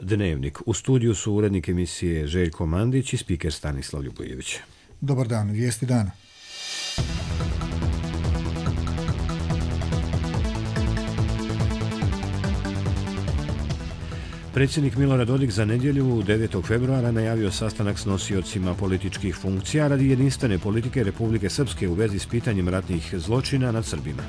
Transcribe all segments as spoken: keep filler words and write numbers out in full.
Dnevnik. U studiju su urednik emisije Željko Mandić i spiker Stanislav Ljubojević. Dobar dan, vijesti dana. Predsjednik Milorad Dodik za nedjelju devetog februara najavio sastanak s nosiocima političkih funkcija radi jedinstvene politike Republike Srpske u vezi s pitanjem ratnih zločina nad Srbima.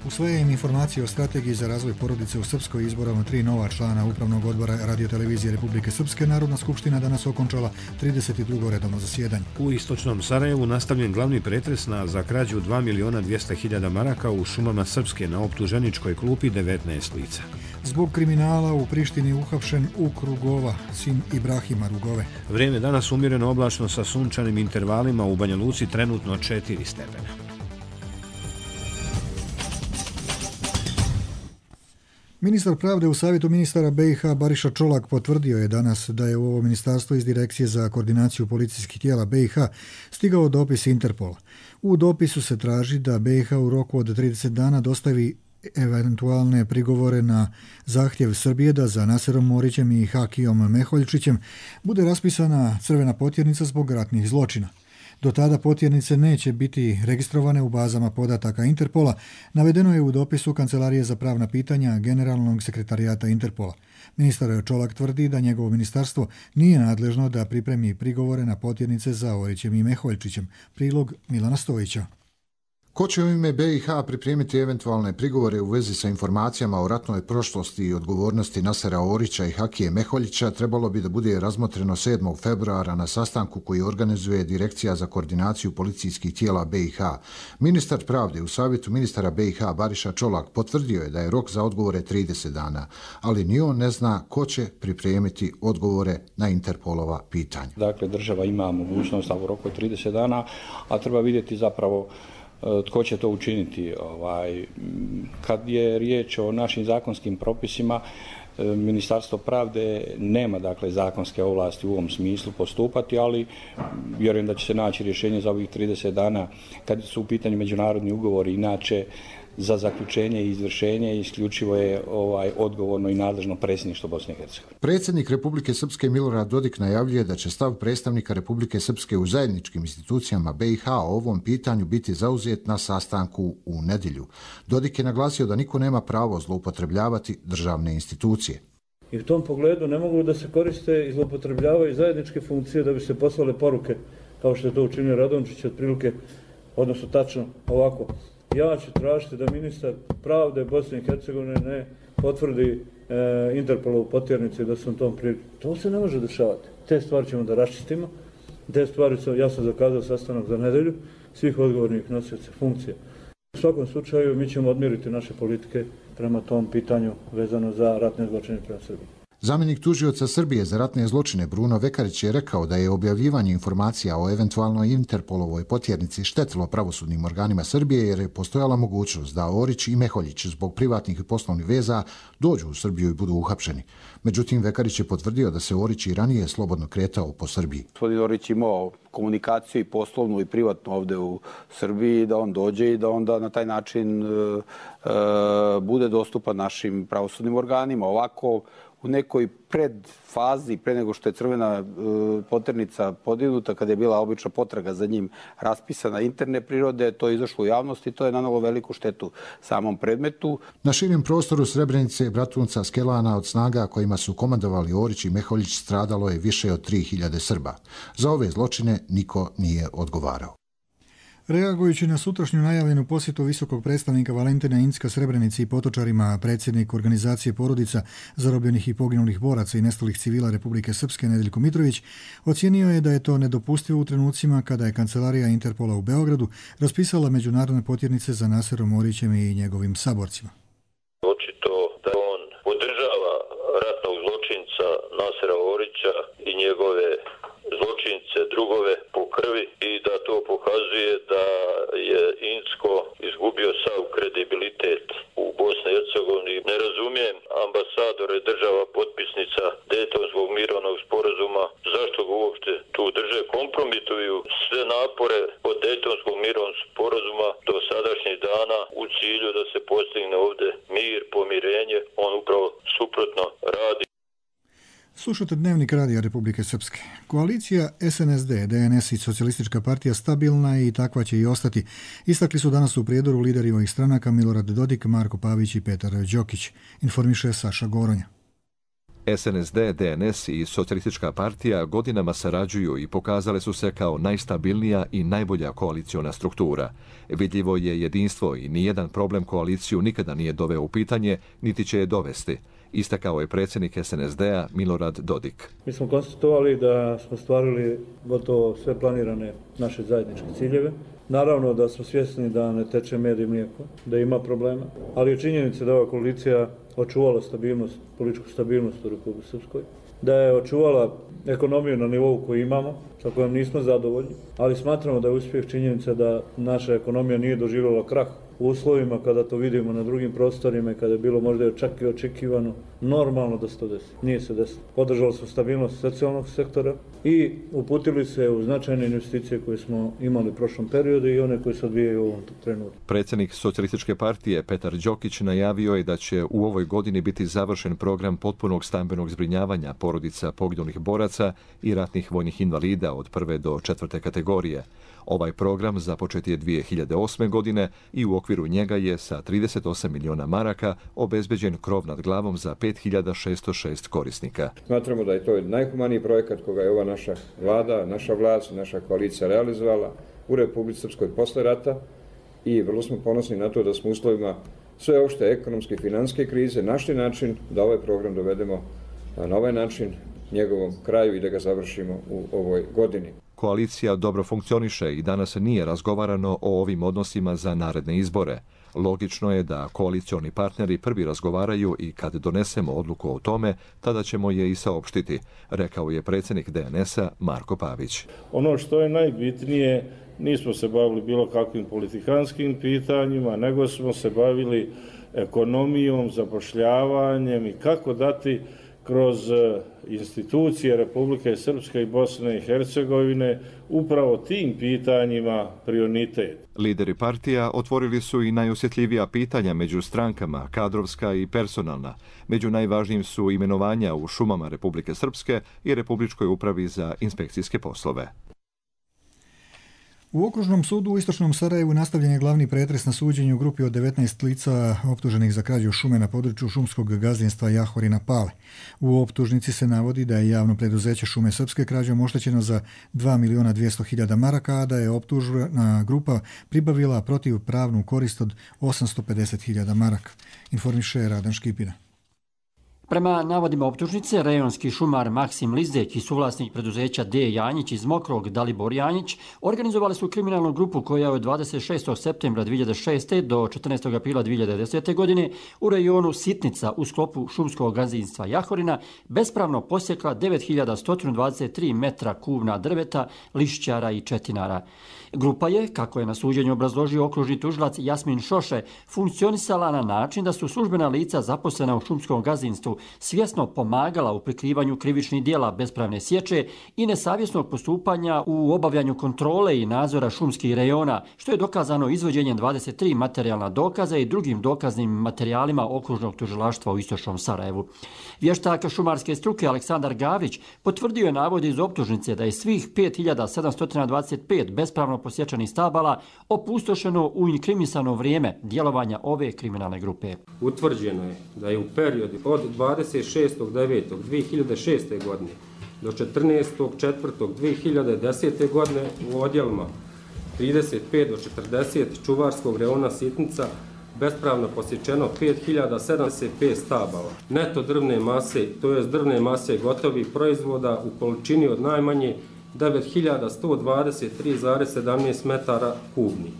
Usvaja im informacije o strategiji za razvoj porodice u Srpskoj. Izborom tri nova člana Upravnog odbora Radiotelevizije Republike Srpske Narodna skupština danas okončala trideset drugo redovno zasjedanje. U istočnom Sarajevu nastavljen glavni pretres na za krađu dva milijuna dvjesto hiljada maraka u šumama Srpske. Na optuženičkoj klupi devetnaest lica. Zbog kriminala u Prištini uhapšen Uk Rugova, sin Ibrahima Rugove. Vrijeme danas umjereno oblačno sa sunčanim intervalima, u Banja Luci trenutno četiri stepena. Ministar pravde u savjetu ministara B i H Bariša Čolak potvrdio je danas da je u ovo ministarstvo iz Direkcije za koordinaciju policijskih tijela B i H stigao dopis Interpola. U dopisu se traži da B i H u roku od trideset dana dostavi eventualne prigovore na zahtjev Srbije da za Naserom Morićem i Hakijom Meholjčićem bude raspisana crvena potjernica zbog ratnih zločina. Do tada potjernice neće biti registrovane u bazama podataka Interpola, navedeno je u dopisu Kancelarije za pravna pitanja Generalnog sekretarijata Interpola. Ministar Čolak tvrdi da njegovo ministarstvo nije nadležno da pripremi prigovore na potjernice za Orićem i Meholjčićem. Prilog Milana Stojića. Ko će u ime B i H pripremiti eventualne prigovore u vezi sa informacijama o ratnoj prošlosti i odgovornosti Nasera Orića i Hakije Meholjića trebalo bi da bude razmotreno sedmog februara na sastanku koji organizuje Direkcija za koordinaciju policijskih tijela B i H. Ministar pravde u savjetu ministara B i H Bariša Čolak potvrdio je da je rok za odgovore trideset dana, ali ni on ne zna ko će pripremiti odgovore na Interpolova pitanja. Dakle, država ima mogućnost u roku od trideset dana, a treba vidjeti zapravo tko će to učiniti. Ovaj, kad je riječ o našim zakonskim propisima, Ministarstvo pravde nema dakle zakonske ovlasti u ovom smislu postupati, ali vjerujem da će se naći rješenje za ovih trideset dana kad su u pitanju međunarodni ugovori. Inače, za zaključenje i izvršenje isključivo je ovaj odgovorno i nadležno predsjedništvo Bosne i Hercegovine. Predsjednik Republike Srpske Milorad Dodik najavljuje da će stav predstavnika Republike Srpske u zajedničkim institucijama B i H o ovom pitanju biti zauzet na sastanku u nedjelju. Dodik je naglasio da niko nema pravo zloupotrebljavati državne institucije. I u tom pogledu ne mogu da se koriste i zloupotrebljavaju zajedničke funkcije da bi se poslale poruke, kao što je to učinio Radončić otprilike, odnosno tačno ovako. Ja ću tražiti da ministar pravde Bosne i Hercegovine ne potvrdi e, Interpolovu potjernicu i da sam tom priliku. To se ne može dešavati. Te stvari ćemo da raščistimo. Te stvari su, ja sam zakazao sastanak za nedelju svih odgovornih nosioca funkcija. U svakom slučaju mi ćemo odmjeriti naše politike prema tom pitanju vezano za ratne zločine prema Srbiji. Zamjenik tužioca Srbije za ratne zločine Bruno Vekarić je rekao da je objavljivanje informacija o eventualnoj Interpolovoj potjernici štetilo pravosudnim organima Srbije jer je postojala mogućnost da Orić i Meholjić zbog privatnih i poslovnih veza dođu u Srbiju i budu uhapšeni. Međutim, Vekarić je potvrdio da se Orić i ranije slobodno kretao po Srbiji. Gospodin Orić imao komunikaciju i poslovnu i privatnu ovdje u Srbiji, da on dođe i da onda na taj način e, e, bude dostupan našim pravosudnim organima. Ovako, u nekoj predfazi, pre nego što je crvena e, potjernica podignuta, kada je bila obična potraga za njim raspisana interne prirode, to je izašlo u javnost i to je nanalo veliku štetu samom predmetu. Na širim prostoru Srebrenice, Bratunca, Skelana od snaga kojima su komandovali Orić i Meholjić stradalo je više od tri hiljade Srba. Za ove zločine niko nije odgovarao. Reagujući na sutrašnju najavljenu posjetu visokog predstavnika Valentina Incka Srebrenici i potočarima, predsjednik organizacije porodica zarobljenih i poginulih boraca i nestalih civila Republike Srpske Nedeljko Mitrović ocijenio je da je to nedopustivo u trenucima kada je Kancelarija Interpola u Beogradu raspisala međunarodne potjernice za Naserom Orićem i njegovim saborcima. Očito da on podržava ratnog zločinca Nasera Orića i njegove zločince, drugove po krvi i da to pokazuje da je Incko izgubio sav kredibilitet u Bosni i Hercegovini. Ne razumijem ambasadore država potpisnica Dejtonskog mirovnog sporazuma, zašto ga uopšte tu drže, kompromituju sve napore od Dejtonskog mirovnog sporazuma do sadašnjih dana u cilju da se postigne ovdje mir, pomirenje, on upravo suprotno radi. Slušate Dnevnik Radija Republike Srpske. Koalicija S N S D, D N S i Socijalistička partija stabilna je i takva će i ostati. Istakli su danas u prijedoru lideri ovih stranaka Milorad Dodik, Marko Pavić i Petar Đokić. Informiše Saša Goronja. S N S D, D N S i Socijalistička partija godinama sarađuju i pokazale su se kao najstabilnija i najbolja koaliciona struktura. Vidljivo je jedinstvo i nijedan problem koaliciju nikada nije doveo u pitanje, niti će je dovesti. Istakao je predsjednik S N S D-a Milorad Dodik. Mi smo konstatovali da smo stvarili gotovo sve planirane naše zajedničke ciljeve. Naravno da smo svjesni da ne teče med i mlijeko, da ima problema, ali je činjenica da ova koalicija očuvala stabilnost, političku stabilnost u Republici Srpskoj, da je očuvala ekonomiju na nivou koji imamo, sa kojom nismo zadovoljni, ali smatramo da je uspjeh činjenica da naša ekonomija nije doživjela krah u uslovima kada to vidimo na drugim prostorima i kada je bilo možda čak i očekivano normalno da se to desi. Nije se desilo. Podržali smo stabilnost socijalnog sektora i uputili se u značajne investicije koje smo imali u prošlom periodu i one koje se odvijaju u ovom trenutku. Predsjednik Socijalističke partije Petar Đokić najavio je da će u ovoj godini biti završen program potpunog stambenog zbrinjavanja porodica poginulih boraca i ratnih vojnih invalida od prve do četvrte kategorije. Ovaj program započet je dvije hiljade osme. godine i u okviru njega je sa trideset osam miliona maraka obezbeđen krov nad glavom za pet hiljada šesto šest korisnika. Smatramo da je to najhumaniji projekat koga je ova naša vlada, naša vlast, naša koalicija realizovala u Republici Srpskoj posle rata i vrlo smo ponosni na to da smo u uslovima sveopšte ekonomske i financijske krize našli način da ovaj program dovedemo na ovaj način njegovom kraju i da ga završimo u ovoj godini. Koalicija dobro funkcioniše i danas nije razgovarano o ovim odnosima za naredne izbore. Logično je da koalicioni partneri prvi razgovaraju i kad donesemo odluku o tome, tada ćemo je i saopštiti, rekao je predsjednik D N S-a Marko Pavić. Ono što je najbitnije, nismo se bavili bilo kakvim politikanskim pitanjima, nego smo se bavili ekonomijom, zapošljavanjem i kako dati kroz institucije Republike Srpske i Bosne i Hercegovine upravo tim pitanjima prioritet. Lideri partija otvorili su i najosjetljivija pitanja među strankama, kadrovska i personalna. Među najvažnijim su imenovanja u šumama Republike Srpske i Republičkoj upravi za inspekcijske poslove. U Okružnom sudu u Istočnom Sarajevu nastavljen je glavni pretres na suđenju u grupi od devetnaest lica optuženih za krađu šume na području šumskog gazdinstva Jahorina Pale. U optužnici se navodi da je javno preduzeće Šume Srpske krađom oštećeno za dva miliona dvjesto hiljada maraka, a da je optužena grupa pribavila protivpravnu korist od osamsto pedeset hiljada maraka, informiše Radan Škipina. Prema navodima optužnice, rejonski šumar Maksim Lizdeć i suvlasnik preduzeća D. Janjić iz Mokrog Dalibor Janjić organizovali su kriminalnu grupu koja je od dvadeset šestog septembra dvije hiljade šeste. do četrnaestog aprila dvije hiljade desete. godine u rejonu Sitnica u sklopu šumskog gazdinstva Jahorina bespravno posjekla devet hiljada sto dvadeset tri metra kubna drveta, lišćara i četinara. Grupa je, kako je na suđenju obrazložio okružni tužilac Jasmin Šoše, funkcionisala na način da su službena lica zaposlena u šumskom gazdinstvu svjesno pomagala u prikrivanju krivičnih djela bespravne sječe i nesavjesnog postupanja u obavljanju kontrole i nadzora šumskih rejona, što je dokazano izvođenjem dvadeset tri materijalna dokaza i drugim dokaznim materijalima okružnog tužilaštva u Istočnom Sarajevu. Vještak šumarske struke Aleksandar Gavrić potvrdio je navode iz optužnice da je svih pet hiljada sedamsto dvadeset pet bespravno posječenih stabala opustošeno u inkriminisano vrijeme djelovanja ove kriminalne grupe. Utvrđeno je da je u periodu od dvadeset šestog devetog dvije hiljade šeste. godine do četrnaestog četvrtog dvije hiljade desete. godine u odjelima trideset pet do četrdeset čuvarskog rejona Sitnica bespravno posječeno pet hiljada sedamdeset pet stabala. Neto drvne mase, to jest drvne mase gotovih proizvoda u količini od najmanje devet hiljada sto dvadeset tri zarez sedamnaest metara kubnih.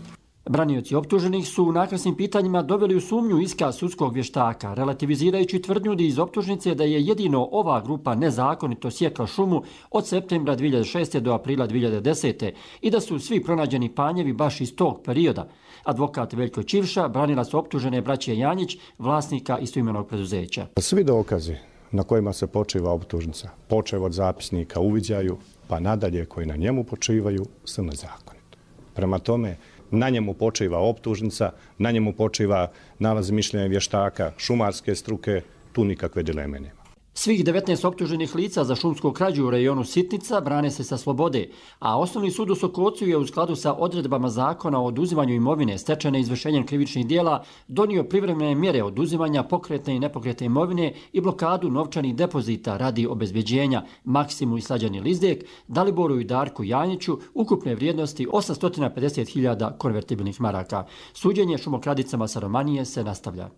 Branioci optuženih su u naknasnim pitanjima doveli u sumnju iskaz sudskog vještaka, relativizirajući tvrdnju iz optužnice da je jedino ova grupa nezakonito sjekla šumu od septembra dvije hiljade šeste. do aprila dvije hiljade desete. i da su svi pronađeni panjevi baš iz tog perioda. Advokat Veljko Čivša branila su optužene braće Janjić, vlasnika istoimenog preduzeća. Svi dokazi na kojima se počiva optužnica, počev od zapisnika uviđaju, pa nadalje koji na njemu počivaju, su nezakonito. Prema tome, na njemu počiva optužnica, na njemu počiva nalaz mišljenja vještaka, šumarske struke, tu nikakve dileme nema. Svih devetnaest optuženih lica za šumsku krađu u rejonu Sitnica brane se sa slobode, a Osnovni sud u Sokocu je u skladu sa odredbama zakona o oduzimanju imovine stečene izvršenjem krivičnih dijela donio privremene mjere oduzimanja pokretne i nepokretne imovine i blokadu novčanih depozita radi obezbeđenja Maksimu i Slađani Lizdek, Daliboru i Darku Janjiću ukupne vrijednosti osamsto pedeset hiljada konvertibilnih maraka. Suđenje šumokradicama sa Romanije se nastavlja.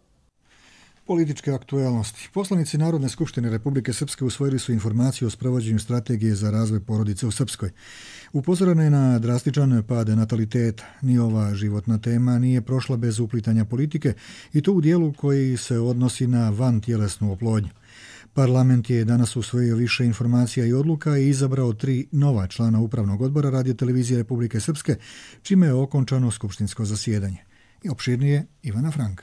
Političke aktualnosti. Poslanici Narodne skupštine Republike Srpske usvojili su informaciju o sprovođenju strategije za razvoj porodice u Srpskoj. Upozoreno je na drastičan pad nataliteta. Ni ova životna tema nije prošla bez uplitanja politike i to u dijelu koji se odnosi na vantjelesnu oplodnju. Parlament je danas usvojio više informacija i odluka i izabrao tri nova člana Upravnog odbora Radio-televizije Republike Srpske, čime je okončano skupštinsko zasjedanje. I opširnije Ivana Frank.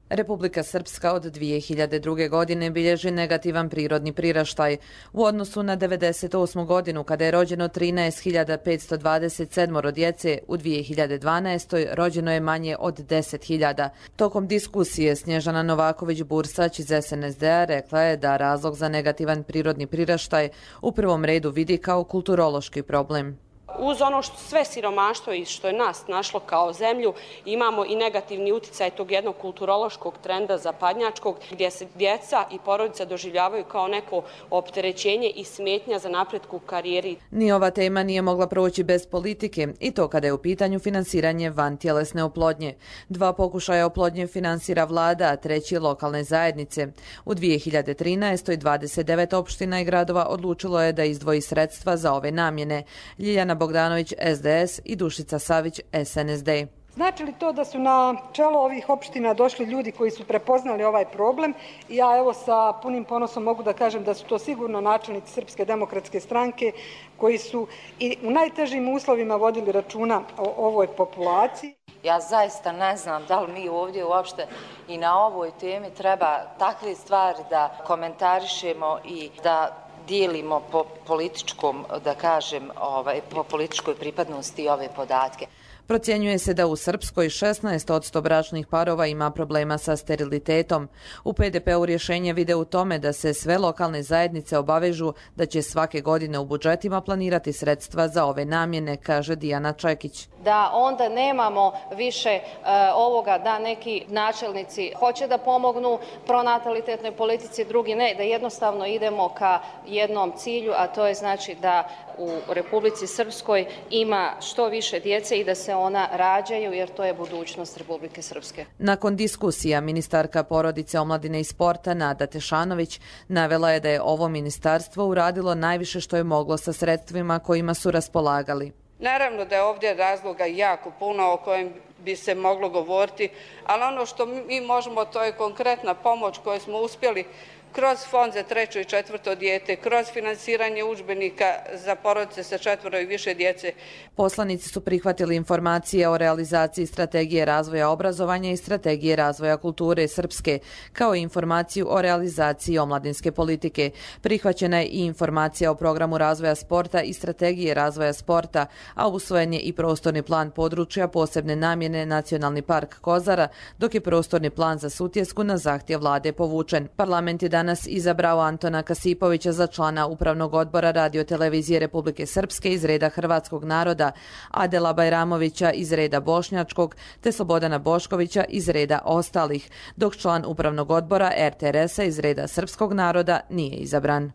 Republika Srpska od dvije hiljade druge. godine bilježi negativan prirodni priraštaj. U odnosu na devedeset osmu. godinu, kada je rođeno trinaest hiljada petsto dvadeset sedam djece, u dvije hiljade dvanaestoj. rođeno je manje od deset hiljada. Tokom diskusije Snježana Novaković-Bursać iz S N S D-a rekla je da razlog za negativan prirodni priraštaj u prvom redu vidi kao kulturološki problem. Uz ono što sve siromaštvo i što je nas našlo kao zemlju, imamo i negativni uticaj tog jednog kulturološkog trenda zapadnjačkog, gdje se djeca i porodica doživljavaju kao neko opterećenje i smetnja za napretku u karijeri. Ni ova tema nije mogla proći bez politike, i to kada je u pitanju finansiranje vantjelesne oplodnje. Dva pokušaja oplodnje finansira vlada, a treći lokalne zajednice. U dvije hiljade trinaestoj. dvadeset devet opština i gradova odlučilo je da izdvoji sredstva za ove namjene. Ljiljana Bogdanović S D S i Dušica Savić S N S D. Znači li to da su na čelo ovih opština došli ljudi koji su prepoznali ovaj problem? Ja evo sa punim ponosom mogu da kažem da su to sigurno načelnici Srpske demokratske stranke koji su i u najtežim uslovima vodili računa o ovoj populaciji. Ja zaista ne znam da li mi ovdje uopšte i na ovoj temi treba takve stvari da komentarišemo i da dijelimo po političkom, da kažem, ovaj, po političkoj pripadnosti ove podatke. Procjenjuje se da u Srpskoj šesnaest posto bračnih parova ima problema sa sterilitetom. U P D P-u rješenje vide u tome da se sve lokalne zajednice obavežu da će svake godine u budžetima planirati sredstva za ove namjene, kaže Dijana Čekić. Da onda nemamo više uh, ovoga da neki načelnici hoće da pomognu pronatalitetnoj politici, drugi ne, da jednostavno idemo ka jednom cilju, a to je znači da u Republici Srpskoj ima što više djece i da se ona rađaju, jer to je budućnost Republike Srpske. Nakon diskusija, ministarka porodice, omladine i sporta Nada Tešanović navela je da je ovo ministarstvo uradilo najviše što je moglo sa sredstvima kojima su raspolagali. Naravno da je ovdje razloga jako puno o kojem bi se moglo govoriti, ali ono što mi možemo, to je konkretna pomoć koju smo uspjeli kroz fond za treće i četvrto dijete, kroz finansiranje udžbenika za porodice sa četvoro i više djece. Poslanici su prihvatili informacije o realizaciji strategije razvoja obrazovanja i strategije razvoja kulture Srpske, kao i informaciju o realizaciji omladinske politike. Prihvaćena je i informacija o programu razvoja sporta i strategije razvoja sporta, a usvojen je i prostorni plan područja posebne namjene Nacionalni park Kozara, dok je prostorni plan za Sutjesku na zahtjev vlade povučen. Parlament je danas izabrao Antona Kasipovića za člana Upravnog odbora Radio-televizije Republike Srpske iz reda hrvatskog naroda, Adela Bajramovića iz reda bošnjačkog, te Slobodana Boškovića iz reda ostalih, dok član Upravnog odbora R T R S-a iz reda srpskog naroda nije izabran.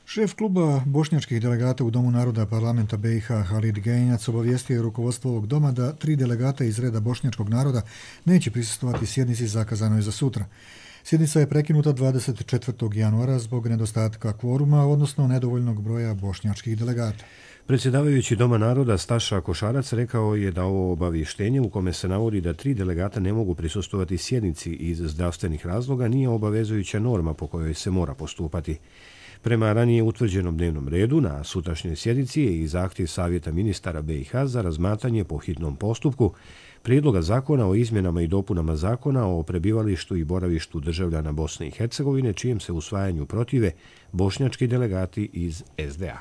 Šef kluba bošnjačkih delegata u Domu naroda parlamenta B i H Halid Genjac obavijestio je rukovodstvo ovog doma da tri delegata iz reda bošnjačkog naroda neće prisustvovati sjednici zakazanoj za sutra. Sjednica je prekinuta dvadeset četvrtog januara zbog nedostatka kvoruma, odnosno nedovoljnog broja bošnjačkih delegata. Predsjedavajući Doma naroda Staša Košarac rekao je da ovo obavještenje u kome se navodi da tri delegata ne mogu prisustvovati sjednici iz zdravstvenih razloga nije obavezujuća norma po kojoj se mora postupati. Prema ranije utvrđenom dnevnom redu, na sutrašnjoj sjednici je i zahtjev Savjeta ministara B i H za razmatranje po hitnom postupku Prijedloga zakona o izmjenama i dopunama zakona o prebivalištu i boravištu državljana Bosne i Hercegovine, čijem se usvajanju protive bošnjački delegati iz S D A.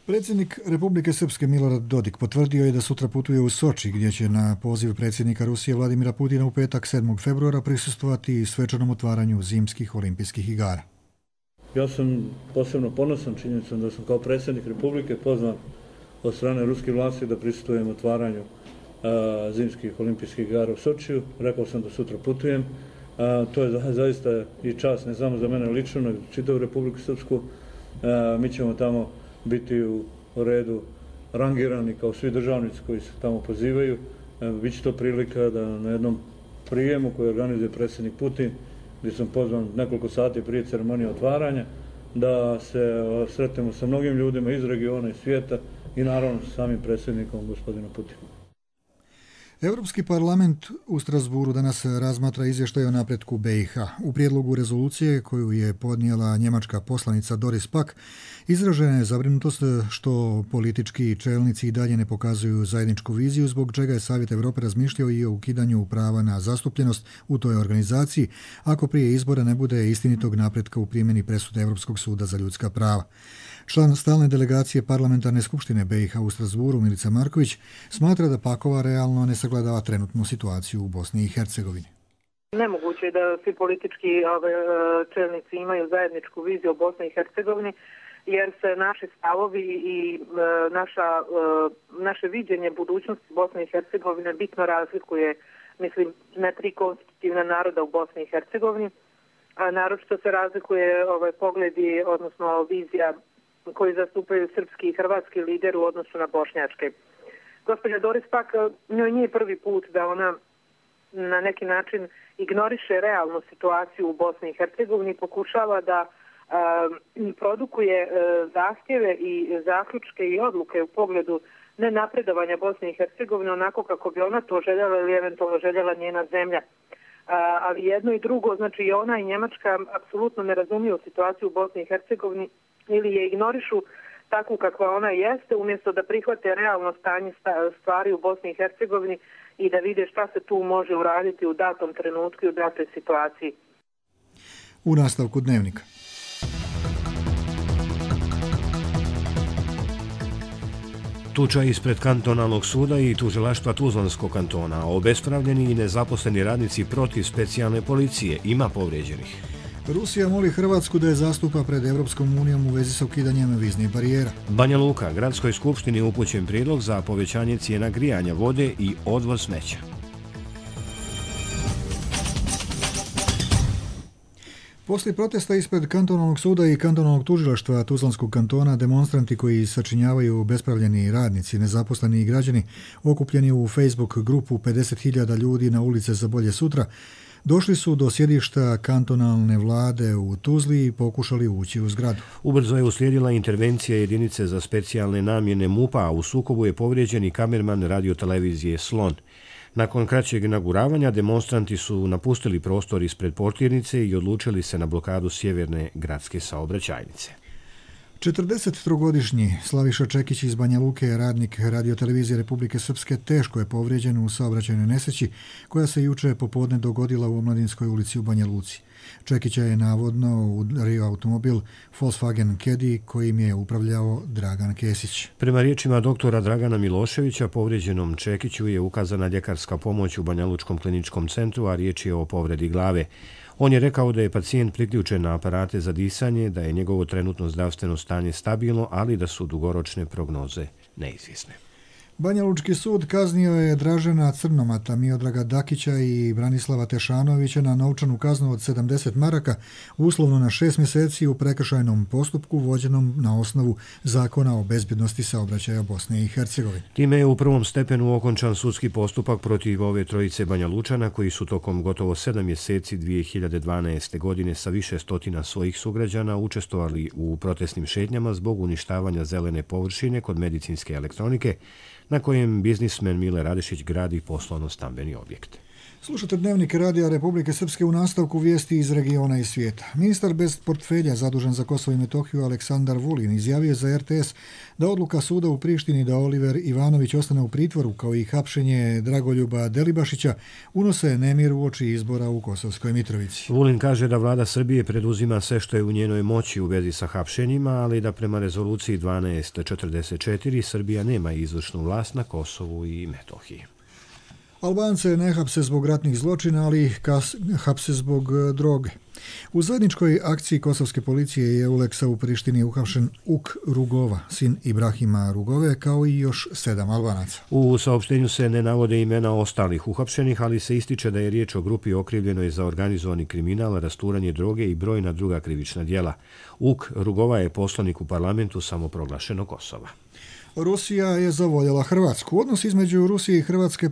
Predsjednik Republike Srpske Milorad Dodik potvrdio je da sutra putuje u Soči, gdje će na poziv predsjednika Rusije Vladimira Putina u petak sedmog februara prisustvovati svečanom otvaranju zimskih olimpijskih igara. Ja sam posebno ponosan činjenicom da sam kao predsjednik Republike pozvan od strane ruskih vlasti da prisustvujem otvaranju a, zimskih olimpijskih igara u Sočiju. Rekao sam da sutra putujem. A, to je zaista i čast, ne samo za mene lično, nego čitavu Republiku Srpsku. A, mi ćemo tamo biti u redu rangirani kao svi državnici koji se tamo pozivaju. A, biće to prilika da na jednom prijemu koji organizuje predsjednik Putin, gdje sam pozvan nekoliko sati prije ceremonije otvaranja, da se sretnemo sa mnogim ljudima iz regiona i svijeta i naravno sa samim predsjednikom gospodinom Putinom. Europski parlament u Strasburu danas razmatra izvještaj o napretku B i H. U prijedlogu rezolucije koju je podnijela njemačka poslanica Doris Pack izražena je zabrinutost što politički čelnici i dalje ne pokazuju zajedničku viziju, zbog čega je Savjet Europe razmišljao i o ukidanju prava na zastupljenost u toj organizaciji ako prije izbora ne bude istinitog napretka u primjeni presude Europskog suda za ljudska prava. Član stalne delegacije parlamentarne skupštine B i H u Strasburu, Milica Marković, smatra da Pakova realno ne sagledava trenutnu situaciju u Bosni i Hercegovini. Nemoguće je da svi politički ove, čelnici imaju zajedničku viziju o Bosni i Hercegovini, jer se naši stavovi i e, naša, e, naše viđenje budućnosti Bosne i Hercegovine bitno razlikuje, mislim, na tri konstitutivna naroda u Bosni i Hercegovini, a naročito se razlikuje ovaj, pogledi, odnosno vizija koji zastupaju srpski i hrvatski lider u odnosu na bošnjačke. Gospođa Doris Pack, njoj nije prvi put da ona na neki način ignoriše realnu situaciju u Bosni i Hercegovini i pokušava da um, produkuje uh, zahtjeve i zaključke i odluke u pogledu nenapredovanja Bosne i Hercegovine onako kako bi ona to željela ili eventualno željela njena zemlja. Uh, ali jedno i drugo, znači i ona i Njemačka apsolutno ne razumiju situaciju u Bosni i Hercegovini ili je ignorišu takvu kakva ona jeste, umjesto da prihvate realno stanje stvari u Bosni i Hercegovini i da vide šta se tu može uraditi u datom trenutku i u datoj situaciji. U nastavku dnevnika. Tuča ispred kantonalnog suda i tužilaštva Tuzlanskog kantona, obespravljeni i nezaposleni radnici protiv specijalne policije, ima povrijeđenih. Rusija moli Hrvatsku da je zastupa pred Europskom unijom u vezi sa ukidanjem viznih barijera. Banja Luka, gradskoj skupštini upućen prijedlog za povećanje cijena grijanja vode i odvoz smeća. Poslije protesta ispred kantonalnog suda i kantonalnog tužilaštva Tuzlanskog kantona, demonstranti koji sačinjavaju bespravljeni radnici, nezaposleni i građani, okupljeni u Facebook grupu pedeset hiljada ljudi na ulice za bolje sutra, došli su do sjedišta kantonalne vlade u Tuzli i pokušali ući u zgradu. Ubrzo je uslijedila intervencija jedinice za specijalne namjene MUP-a, a u sukobu je povrijeđen i kamerman radiotelevizije Slon. Nakon kraćeg inaguravanja demonstranti su napustili prostor ispred portirnice i odlučili se na blokadu sjeverne gradske saobraćajnice. četrdesettrogodišnji Slaviša Čekić iz Banja Luke, radnik radiotelevizije Republike Srpske, teško je povrijeđen u saobraćajnoj nesreći koja se juče popodne dogodila u Omladinskoj ulici u Banja Luci. Čekića je navodno udario automobil Volkswagen Caddy kojim je upravljao Dragan Kesić. Prema riječima doktora Dragana Miloševića, povrijeđenom Čekiću je ukazana ljekarska pomoć u Banja Lučkom kliničkom centru, a riječ je o povredi glave. On je rekao da je pacijent priključen na aparate za disanje, da je njegovo trenutno zdravstveno stanje stabilno, ali da su dugoročne prognoze neizvjesne. Banja Lučki sud kaznio je Dražena Crnomata, Miodraga Dakića i Branislava Tešanovića na novčanu kaznu od sedamdeset maraka, uslovno na šest mjeseci u prekršajnom postupku vođenom na osnovu Zakona o bezbjednosti saobraćaja Bosne i Hercegovine. Time je u prvom stepenu okončan sudski postupak protiv ove trojice Banja Lučana koji su tokom gotovo sedam mjeseci dvije hiljade dvanaeste. godine sa više stotina svojih sugrađana učestvovali u protestnim šetnjama zbog uništavanja zelene površine kod medicinske elektronike, na kojem biznismen Mile Radešić gradi poslovno-stambeni objekt. Slušate Dnevnik Radija Republike Srpske, u nastavku vijesti iz regiona i svijeta. Ministar bez portfelja zadužen za Kosovo i Metohiju Aleksandar Vulin izjavio za R T S da odluka suda u Prištini da Oliver Ivanović ostane u pritvoru kao i hapšenje Dragoljuba Delibašića unose nemir u oči izbora u Kosovskoj Mitrovici. Vulin kaže da vlada Srbije preduzima sve što je u njenoj moći u vezi sa hapšenjima, ali da prema rezoluciji dvanaest četrdeset četiri Srbija nema izvršnu vlast na Kosovu i Metohiji. Albance ne hapse zbog ratnih zločina, ali ih hapse zbog droge. U zajedničkoj akciji kosovske policije i Euleksa u Prištini je uhapšen Uk Rugova, sin Ibrahima Rugove, kao i još sedam Albanaca. U saopštenju se ne navode imena ostalih uhapšenih, ali se ističe da je riječ o grupi okrivljenoj za organizovani kriminal, rasturanje droge i brojna druga krivična djela. Uk Rugova je poslanik u parlamentu samoproglašenog Kosova. Rusija je zavoljela Hrvatsku. Odnos između Rusije i Hrvatske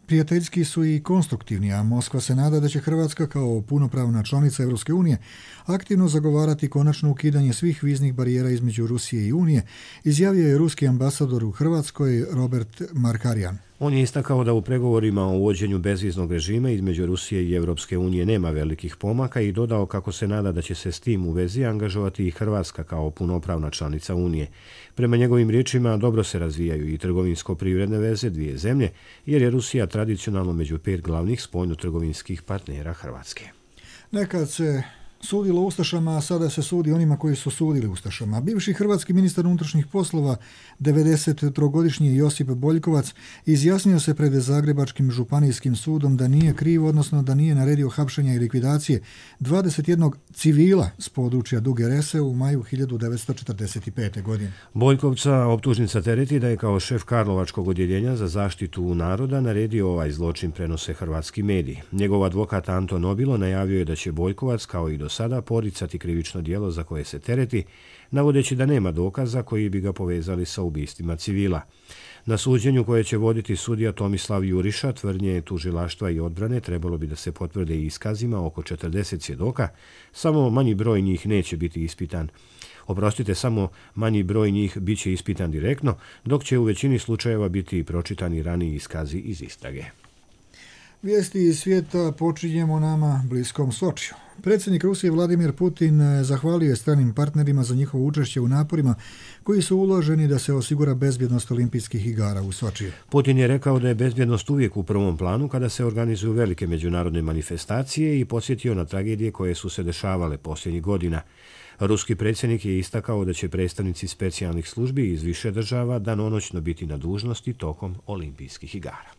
prijateljski su i konstruktivni, a Moskva se nada da će Hrvatska kao punopravna članica Europske unije aktivno zagovarati konačno ukidanje svih viznih barijera između Rusije i Unije, izjavio je ruski ambasador u Hrvatskoj Robert Markarjan. On je istakao da u pregovorima o uvođenju bezviznog režima između Rusije i Europske unije nema velikih pomaka i dodao kako se nada da će se s tim u vezi angažovati i Hrvatska kao punopravna članica Unije. Prema njegovim riječima dobro se razvijaju i trgovinsko-privredne veze dvije zemlje, jer je Rusija tradicionalno među pet glavnih spoljno-trgovinskih partnera Hrvatske. Nekad se sudilo Ustašama, a sada se sudi onima koji su sudili Ustašama. Bivši hrvatski ministar unutrašnjih poslova, devedesettrogodišnji Josip Boljkovac, izjasnio se pred Zagrebačkim županijskim sudom da nije kriv, odnosno da nije naredio hapšenja i likvidacije dvadeset jednog civila s područja Duge Rese u maju hiljadu devetsto četrdeset pete. godine. Boljkovca optužnica tereti da je kao šef Karlovačkog odjeljenja za zaštitu naroda naredio ovaj zločin, prenose hrvatski mediji. Njegov advokat Anton Obilo najavio je da će Boljkovac kao i do sada poricati krivično djelo za koje se tereti, navodeći da nema dokaza koji bi ga povezali sa ubistvima civila. Na suđenju koje će voditi sudija Tomislav Juriša, tvrdnje tužilaštva i odbrane trebalo bi da se potvrde i iskazima oko četrdeset svjedoka, samo manji broj njih neće biti ispitan. Oprostite, samo manji broj njih bit će ispitan direktno, dok će u većini slučajeva biti pročitani raniji iskazi iz istrage. Vijesti iz svijeta počinjemo nama bliskom Sočiju. Predsjednik Rusije Vladimir Putin zahvalio je stranim partnerima za njihovo učešće u naporima koji su uloženi da se osigura bezbjednost olimpijskih igara u Sočiju. Putin je rekao da je bezbjednost uvijek u prvom planu kada se organizuju velike međunarodne manifestacije i podsjetio na tragedije koje su se dešavale posljednjih godina. Ruski predsjednik je istakao da će predstavnici specijalnih službi iz više država danonoćno biti na dužnosti tokom olimpijskih igara.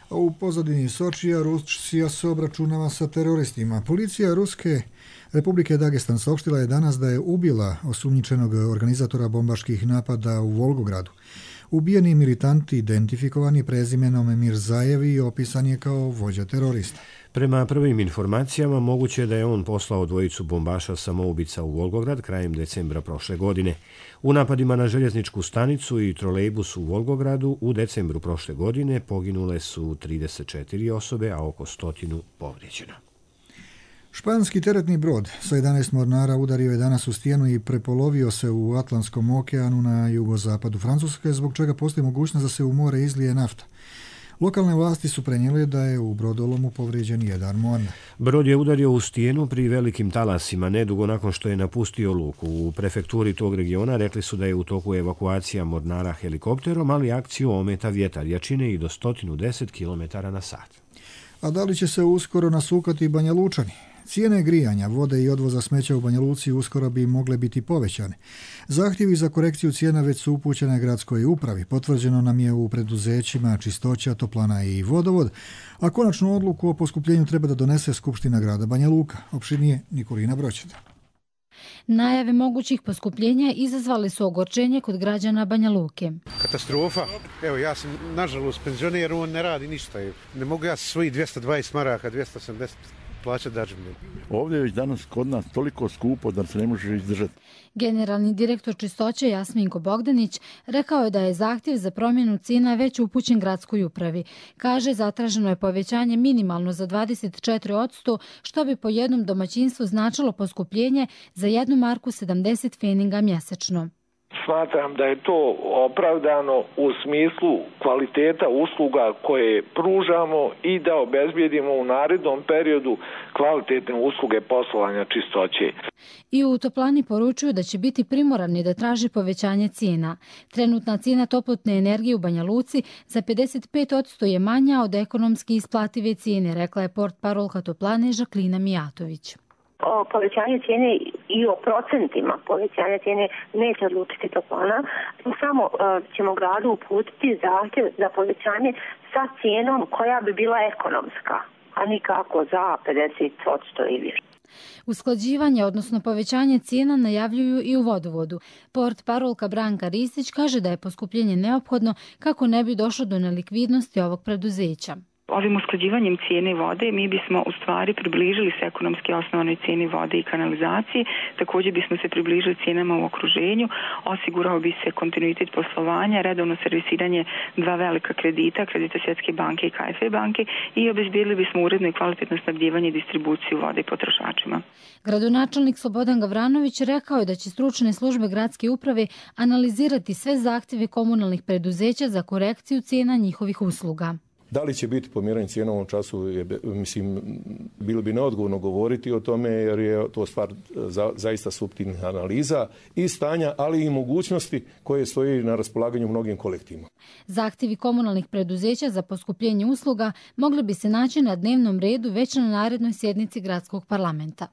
A u pozadini Sočija Rusija se obračunava sa teroristima. Policija Ruske Republike Dagestan saopštila je danas da je ubila osumnjičenog organizatora bombaških napada u Volgogradu. Ubijeni militanti identifikovani prezimenom Mirzajevi opisan je kao vođa terorista. Prema prvim informacijama moguće je da je on poslao dvojicu bombaša samoubica u Volgograd krajem decembra prošle godine. U napadima na željezničku stanicu i trolejbus u Volgogradu u decembru prošle godine poginule su trideset četiri osobe, a oko stotinu povrijeđeno. Španski teretni brod sa jedanaest mornara udario je danas u stijenu i prepolovio se u Atlantskom okeanu na jugozapadu Francuske, zbog čega postoji mogućnost da se u more izlije nafta. Lokalne vlasti su prenijele da je u brodolomu povrijeđen jedan mornar. Brod je udario u stijenu pri velikim talasima, nedugo nakon što je napustio luku. U prefekturi tog regiona rekli su da je u toku evakuacija mornara helikopterom, ali akciju ometa vjetar jačine i do sto deset kilometara na sat. A da li će se uskoro nasukati Banja Lučani? Cijene grijanja, vode i odvoza smeća u Banja Luci uskoro bi mogle biti povećane. Zahtjevi za korekciju cijena već su upućene gradskoj upravi. Potvrđeno nam je u preduzećima Čistoća, Toplana i Vodovod, a konačnu odluku o poskupljenju treba da donese Skupština grada Banja Luka. Opširnije Nikolina Broćeta. Najave mogućih poskupljenja izazvali su ogorčenje kod građana Banja Luke. Katastrofa. Evo, ja sam nažalost penzioner, on ne radi ništa. Ne mogu ja svojih dvjesto dvadeset maraka, dvjesto osamdeset plaćati dađevne. Ovdje je već danas kod nas toliko skupo da se ne može izdržati. Generalni direktor Čistoće Jasminko Bogdanić rekao je da je zahtjev za promjenu cijena već upućen gradskoj upravi. Kaže, zatraženo je povećanje minimalno za dvadeset četiri posto, što bi po jednom domaćinstvu značilo poskupljenje za jednu marku sedamdeset feninga mjesečno. Smatram da je to opravdano u smislu kvaliteta usluga koje pružamo i da obezbijedimo u narednom periodu kvalitetne usluge poslovanja čistoće. I u Toplani poručuju da će biti primorani da traži povećanje cijena. Trenutna cijena toplotne energije u Banja Luci za pedeset pet posto je manja od ekonomski isplative cijene, rekla je portparolka Toplane Žaklina Mijatović. O povećanju cijene i o procentima povećanja cijene neće odlučiti Toplana. Samo uh, ćemo gradu uputiti zahtjev za povećanje sa cijenom koja bi bila ekonomska, a nikako za pedeset posto ili više. Usklađivanje, odnosno povećanje cijena, najavljuju i u vodovodu. Port parolka Branka Ristić kaže da je poskupljenje neophodno kako ne bi došlo do nelikvidnosti ovog preduzeća. Ovim usklađivanjem cijene vode mi bismo u stvari približili se ekonomski osnovanoj cijeni vode i kanalizaciji, također bismo se približili cijenama u okruženju, osigurao bi se kontinuitet poslovanja, redovno servisiranje dva velika kredita, kredita Svjetske banke i K F W banke, i obezbijedili bismo uredno i kvalitetno snabdijevanje i distribuciju vode potrošačima. Gradonačelnik Slobodan Gavranović rekao je da će stručne službe gradske uprave analizirati sve zahtjeve komunalnih preduzeća za korekciju cijena njihovih usluga. Da li će biti pomjeranje cijena u ovom času, je, mislim, bilo bi neodgovorno govoriti o tome jer je to stvar za, zaista suptilnih analiza i stanja, ali i mogućnosti koje stoji na raspolaganju mnogim kolektivima. Zahtjevi komunalnih preduzeća za poskupljenje usluga mogli bi se naći na dnevnom redu već na narednoj sjednici gradskog parlamenta.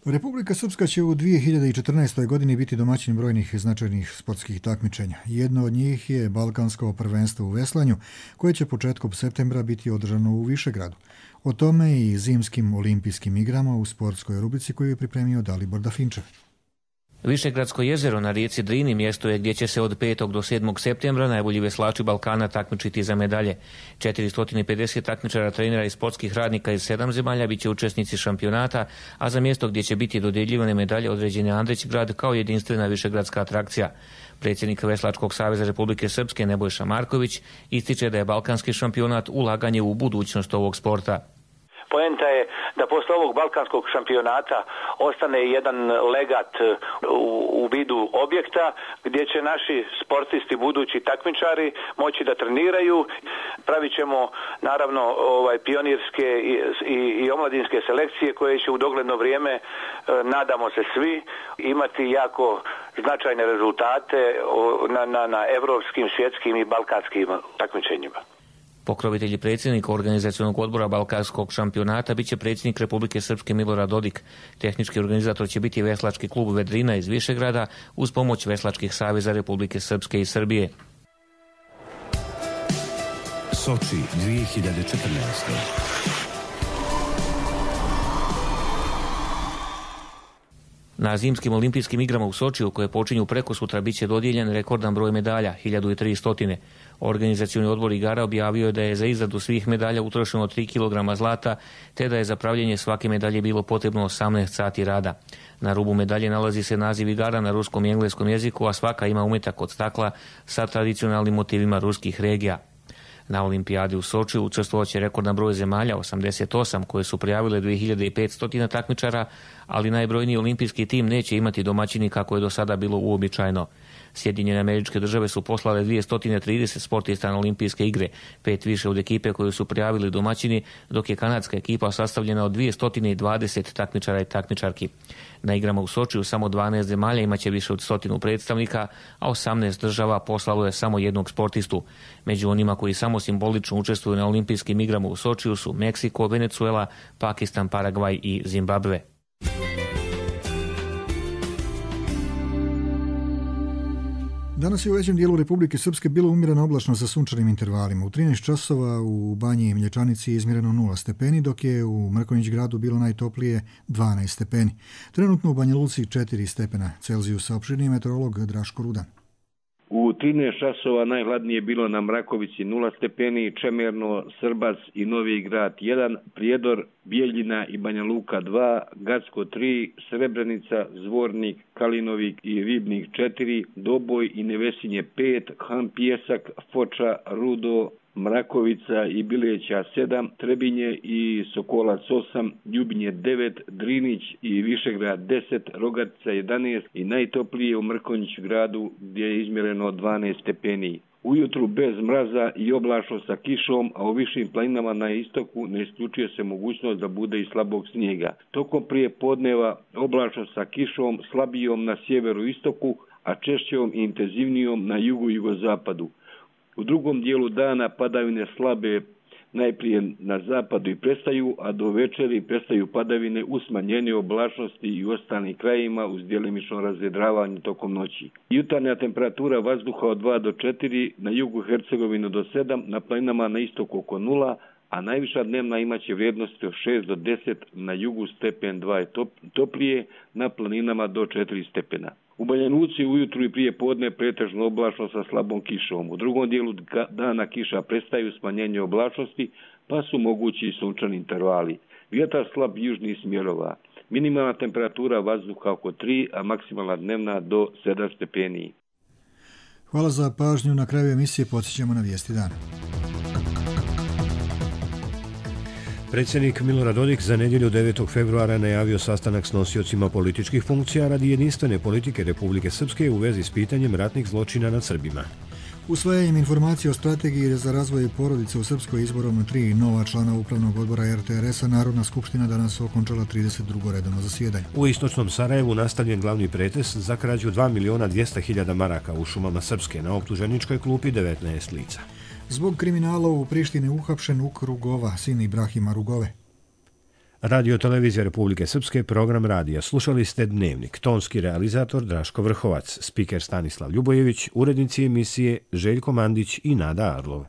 Republika Srpska će u dvije hiljade četrnaestoj. godini biti domaćin brojnih značajnih sportskih takmičenja. Jedno od njih je Balkansko prvenstvo u veslanju, koje će početkom septembra biti održano u Višegradu. O tome i zimskim olimpijskim igrama u sportskoj rubrici koju je pripremio Dalibor Dafinčev. Višegradsko jezero na rijeci Drini mjesto je gdje će se od petog do sedmog septembra najbolji veslači Balkana takmičiti za medalje. četiristo pedeset takmičara, trenera i sportskih radnika iz sedam zemalja bit će učesnici šampionata, a za mjesto gdje će biti dodjeljivane medalje određen je Andrić grad kao jedinstvena višegradska atrakcija. Predsjednik Veslačkog saveza Republike Srpske Nebojša Marković ističe da je balkanski šampionat ulaganje u budućnost ovog sporta. Poenta je da posle ovog balkanskog šampionata ostane jedan legat u, u vidu objekta gdje će naši sportisti, budući takmičari, moći da treniraju. Pravit ćemo naravno ovaj, pionirske i, i, i omladinske selekcije koje će u dogledno vrijeme, nadamo se svi, imati jako značajne rezultate na, na, na evropskim, svjetskim i balkanskim takmičenjima. Pokrovitelj i predsjednik organizacionog odbora Balkanskog šampionata biće predsjednik Republike Srpske Milorad Dodik. Tehnički organizator će biti Veslački klub Vedrina iz Višegrada uz pomoć Veslačkih saveza Republike Srpske i Srbije. Soči dvije hiljade četrnaeste. Na zimskim olimpijskim igrama u Sočiju, koje počinju preko sutra, bit će dodijeljen rekordan broj medalja, hiljadu tristo. Organizacioni odbor igara objavio je da je za izradu svih medalja utrošeno tri kilograma zlata, te da je za pravljenje svake medalje bilo potrebno osamnaest sati rada. Na rubu medalje nalazi se naziv igara na ruskom i engleskom jeziku, a svaka ima umetak od stakla sa tradicionalnim motivima ruskih regija. Na olimpijadi u Sočiju učestvovat će rekordan broj zemalja, osamdeset osam, koje su prijavile dvije hiljade petsto takmičara, ali najbrojniji olimpijski tim neće imati domaćini kako je do sada bilo uobičajeno. Sjedinjene Američke Države su poslale dvjesto trideset sportista na olimpijske igre, pet više od ekipe koju su prijavili domaćini, dok je kanadska ekipa sastavljena od dvjesto dvadeset takmičara i takmičarki. Na igrama u Sočiju samo dvanaest zemalja imaće više od stotinu predstavnika, a osamnaest država poslalo je samo jednog sportistu. Među onima koji samo simbolično učestvuju na olimpijskim igrama u Sočiju su Meksiko, Venezuela, Pakistan, Paragvaj i Zimbabve. Danas je u većem dijelu Republike Srpske bilo umjereno oblačno sa sunčanim intervalima. U trinaest časova u Banji i Mlječanici je izmjereno nula stepeni, dok je u Mrkonjić gradu bilo najtoplije dvanaest stepeni. Trenutno u Banja Luci četiri stepena Celzijusa, opširni meteorolog Draško Rudan. U trinaest časova najhladnije je bilo na Mrakovici nula stepeni, Čemerno, Srbac i Novi Grad jedan, Prijedor, Bijeljina i Banja Luka dva, Gacko tri, Srebrenica, Zvornik, Kalinovik i Ribnik četiri, Doboj i Nevesinje pet, Han Pjesak, Foča, Rudo, Mrakovica i Bileća sedam, Trebinje i Sokolac osam, Ljubinje devet, Drinić i Višegrad deset, Rogatica jedanaest i najtoplije u Mrkonjić gradu gdje je izmjereno dvanaest stepeni. Ujutru bez mraza i oblačno sa kišom, a u višim planinama na istoku ne isključuje se mogućnost da bude i slabog snijega. Tokom prije podneva oblačno sa kišom, slabijom na sjeveru istoku, a češćom i intenzivnijom na jugu i jugozapadu. U drugom dijelu dana padavine slabe najprije na zapadu i prestaju, a do večeri prestaju padavine u smanjenju oblačnosti i u ostalim krajima uz djelimično razvedravanje tokom noći. Jutarnja temperatura vazduha od dva do četiri, na jugu Hercegovine do sedam, na planinama na istoku oko nula, a najviša dnevna imaće vrijednosti od šest do deset, na jugu stepen dva je top, toplije, na planinama do četiri stepena. U Banja Luci ujutru i prije podne pretežno oblačno sa slabom kišom. U drugom dijelu dana kiša prestaju, smanjenje oblačnosti, pa su mogući i sunčani intervali. Vjetar slab južnih smjerova. Minimalna temperatura vazduha oko tri, a maksimalna dnevna do sedam stepeni. Hvala za pažnju. Na kraju emisije podsjećamo na vijesti dana. Predsjednik Milorad Dodik za nedjelju devetog februara najavio sastanak s nosiocima političkih funkcija radi jedinstvene politike Republike Srpske u vezi s pitanjem ratnih zločina nad Srbima. Usvajanjem informacije o strategiji za razvoj porodice u Srpskoj izborom tri nova člana upravnog odbora er te er es-a Narodna skupština danas okončala trideset drugo redovno zasjedanje. U istočnom Sarajevu nastavljen glavni pretres za krađu dva miliona dvjesto hiljada maraka u šumama Srpske, na optuženičkoj klupi devetnaest lica. Zbog kriminala u Prištini uhapšen Uk Rugova, sin Ibrahima Rugove. Radio Televizija Republike Srpske, program radija. Slušali ste Dnevnik. Tonski realizator Draško Vrhovac, spiker Stanislav Ljubojević, urednici emisije Željko Mandić i Nada Arlov.